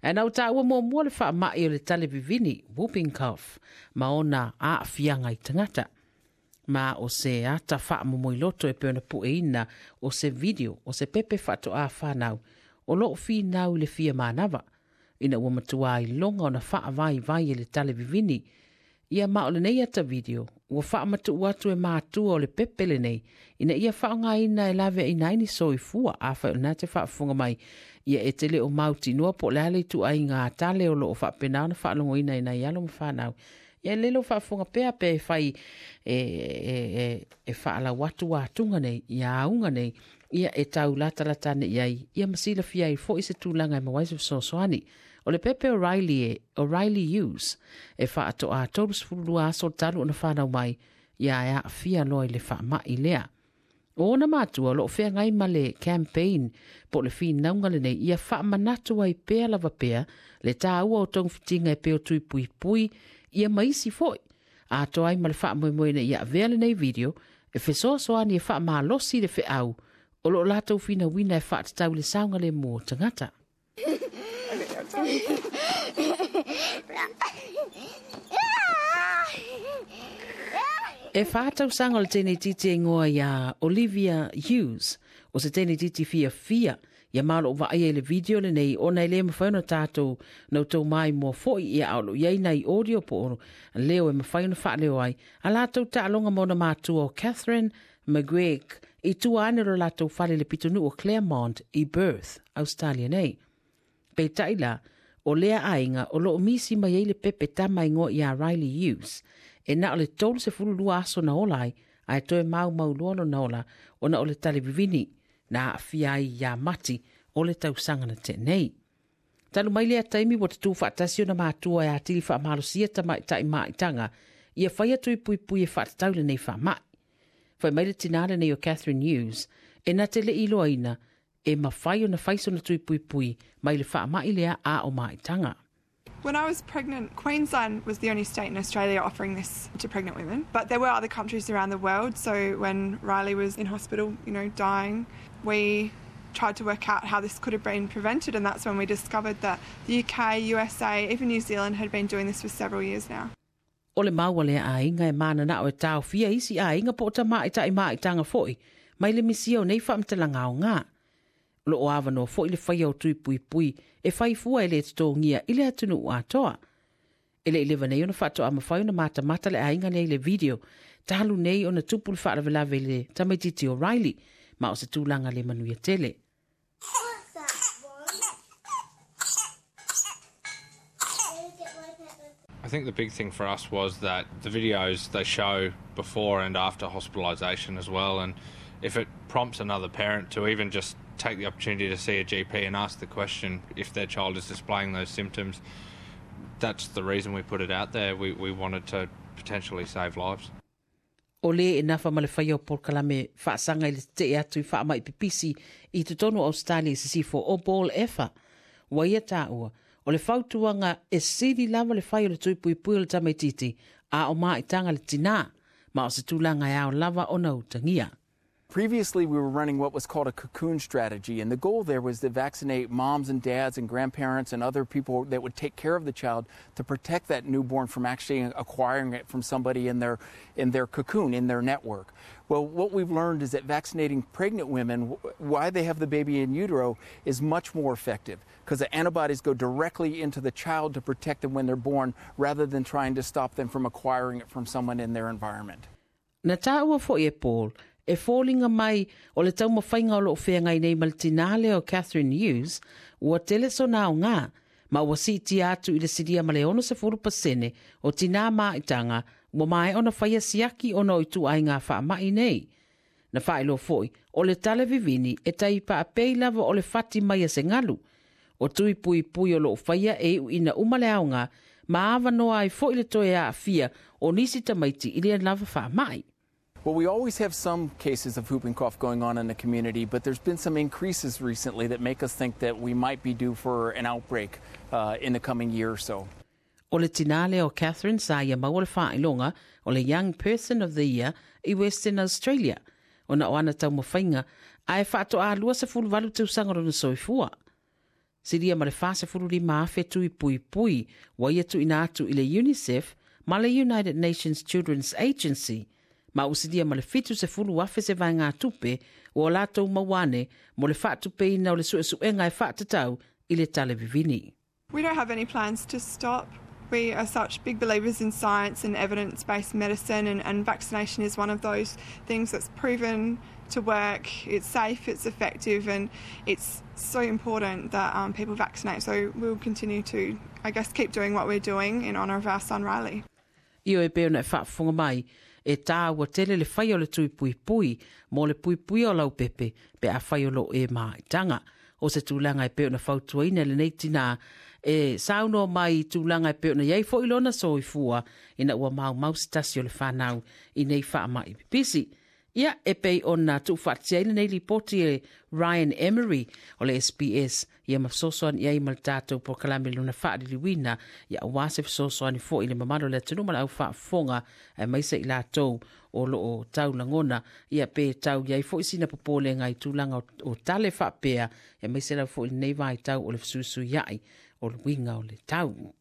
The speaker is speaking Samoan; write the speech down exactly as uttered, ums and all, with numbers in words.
Ae na ou taua muamua le faamai o le tale vivini, whooping cough, ma ona aafiaga i tagata. Ma o se ata faamomoiloto e pei ona pueina o se video o se pepe faatoā fanau o loo finau i le fia manava, ina ua matuā iloga ona faavaivai e le tale vivini. Ia ma o lenei ata video ua faamatuu atu e matua o le pepe lenei ina ia faaaogaina e laveaina ai ni soifua. Afai o lena te faafofoga mai, ia e te le o mautinoa po o le a le ituaiga tale o loo faapena ona faalogoina i nai alo ma fanau, ia le lou faafofoga pea pe e fai e, e, e, e faalau atu atuga nei ia auga nei, ia e tau latalata ane i ai, ia ma silafia ai foi se tulaga e maua ai se fesoasoani. O le pepe o Riley e, o Riley Hughes, e faatoa tolusefulu lua aso talu ona fanau mai, ia e aafia loa i le faamai lea. O ona matua o loo feagai ma le campaign po o le finauga lenei ia faamanatu ai pea lava pea le taua o togafitiga e pei o tui puipui ia ma isi foi. Atoa ai ma le faamoemoe ina ia avea lenei video e fesoasoani e faamalosi le feau o loo latou finauina e faatatau i le saogalemu o tagata. E whā tausaga o le teinetiti e ingoa iā Olivia Hughes, o se teinetiti fiafia, ia ma o loo vaaia i le video lenei ona e le mafai ona tatou na outou maimoa foi, ia a o loo i ai nai audio po o leo e mafai ona faaleo ai a latou taaloga ma ona matua o Catherine McGregor i tua ane o lo latou fale i le pitonuu o Claremont i Perth, Australia nei. Peitai la, o lea aiga o loo misi mai ai le pepe tama ingoa iā Riley Hughes, e na o le tolusefulu lua aso na ola ai, ae toe maumau loa lona ola ona o le tale vivini na aafia ai iā Mati o le tausaga na tea nei. Talu mai lea taimi ua tatū faatasi ona matua e atili faamalosia tamaitai maaitaga ia faia tui puipui e faatatau i lenei faamai. Fai mai le tinā lenei o Catherine Hughes, e na te le iloaina e mafai ona fai sona tui puipui mai le faamai lea a o maaitaga. When I was pregnant, Queensland was the only state in Australia offering this to pregnant women, but there were other countries around the world. So when Riley was in hospital, you know, dying, we tried to work out how this could have been prevented, and that's when we discovered that the U K, U S A, even New Zealand had been doing this for several years now. O le mau a lea aiga e mananao e taofia isi aiga po o tamaitai maaitaga foi mai le misia o nei faamatalaga aogā. O loo avanoa foi le faia o tui puipui e fai fua e le totogia i le atunuu atoa. E le i leva nei ona faatoa mafai ona matamata le aiga nei i le video talu nei ona tupu le faalavelave i le tamaititi o Riley, ma o se tulaga le manuia tele. I think the big thing for us was that the videos, they show before and after hospitalisation as well, and if it prompts another parent to even just take the opportunity to see a G P and ask the question if their child is displaying those symptoms, that's the reason we put it out there. We, we wanted to potentially save lives. O le e nafa ma le faia o polokalame faasaga i le tetee atu i faamai pipisi i totonu o Australia i sisifo o Paul Efa. Ua ia taua, o le fautuaga e sili lava le fai o le tui puipui o le tamaititi a o maaitaga le tinā, ma o se tulaga e ao lava ona utagia. Previously, we were running what was called a cocoon strategy, and the goal there was to vaccinate moms and dads and grandparents and other people that would take care of the child to protect that newborn from actually acquiring it from somebody in their, in their cocoon, in their network. Well, what we've learned is that vaccinating pregnant women while they have the baby in utero is much more effective because the antibodies go directly into the child to protect them when they're born rather than trying to stop them from acquiring it from someone in their environment. Na taua foi e Paul, e foliga mai o le taumafaiga o loo feagai nei ma le tinā lea o Catherine Hughes, ua tele sona aogā, ma ua siitia atu i le silia ma le onosefulu pasene o tinā maaitaga ua maea ona faia siaki ona o ituaiga faamai nei. Na faailoa foi, o le tale vivini e tai paapei lava o le fati mai a se galu. O tui puipui o loo faia e iuina uma le aogā, ma avanoa ai foi le toe aafia o nisi tamaiti i lea lava faamai. Well, we always have some cases of whooping cough going on in the community, but there's been some increases recently that make us think that we might be due for an outbreak uh, in the coming year or so. O le tinā lea o Catherine sa ia maua le faailoga o le Young Person of the Year i Western Australia, ona o ana taumafaiga ae faatoa luasefulu valu tausaga lona soifua. Silia ma le fasefululima afe tui puipui ua ia tuuina atu i le UNICEF ma le United Nations Children's Agency, ma ua silia ma le fitu sefulu afe se vaegatupe ua latou maua ane mo le faatupeina o le suesuega e faatatau i le tale vivini. We don't have any plans to stop. We are such big believers in science and evidence-based medicine, and, and vaccination is one of those things that's proven to work. It's safe, it's effective, and it's so important that um, people vaccinate. So we'll continue to, I guess, keep doing what we're doing in honour of our son Riley. Io e pei ona e faafofoga mai, e tāua tele le fai o le tui puipui mo le puipuia o laupepe pe afai o loo e maaitaga. O se tulaga e pei ona fautuaina lenei tinā e saunoa mai i tulaga e pei ona i ai fo'i lona soifua ina ua maumau se tasi o le fanau i nei faama'i pipisi. Ia e pei ona tuufaatasia ai lenei lipoti e Ryan Emery o le S B S, ia ma fesoasoani i ai ma le tatou polokalame lona faaliliuina, ia auā se fesoasoani fo'i i le mamalu o le atunuu ma le aufaafofoga, aemaise i latou o loo taulagona ia pe tau i ai fo'i sina popolega i tulaga o tale faapea, aemaise lava fo'i lenei vaitau o le fesuisuia'i o le uiga o le tau.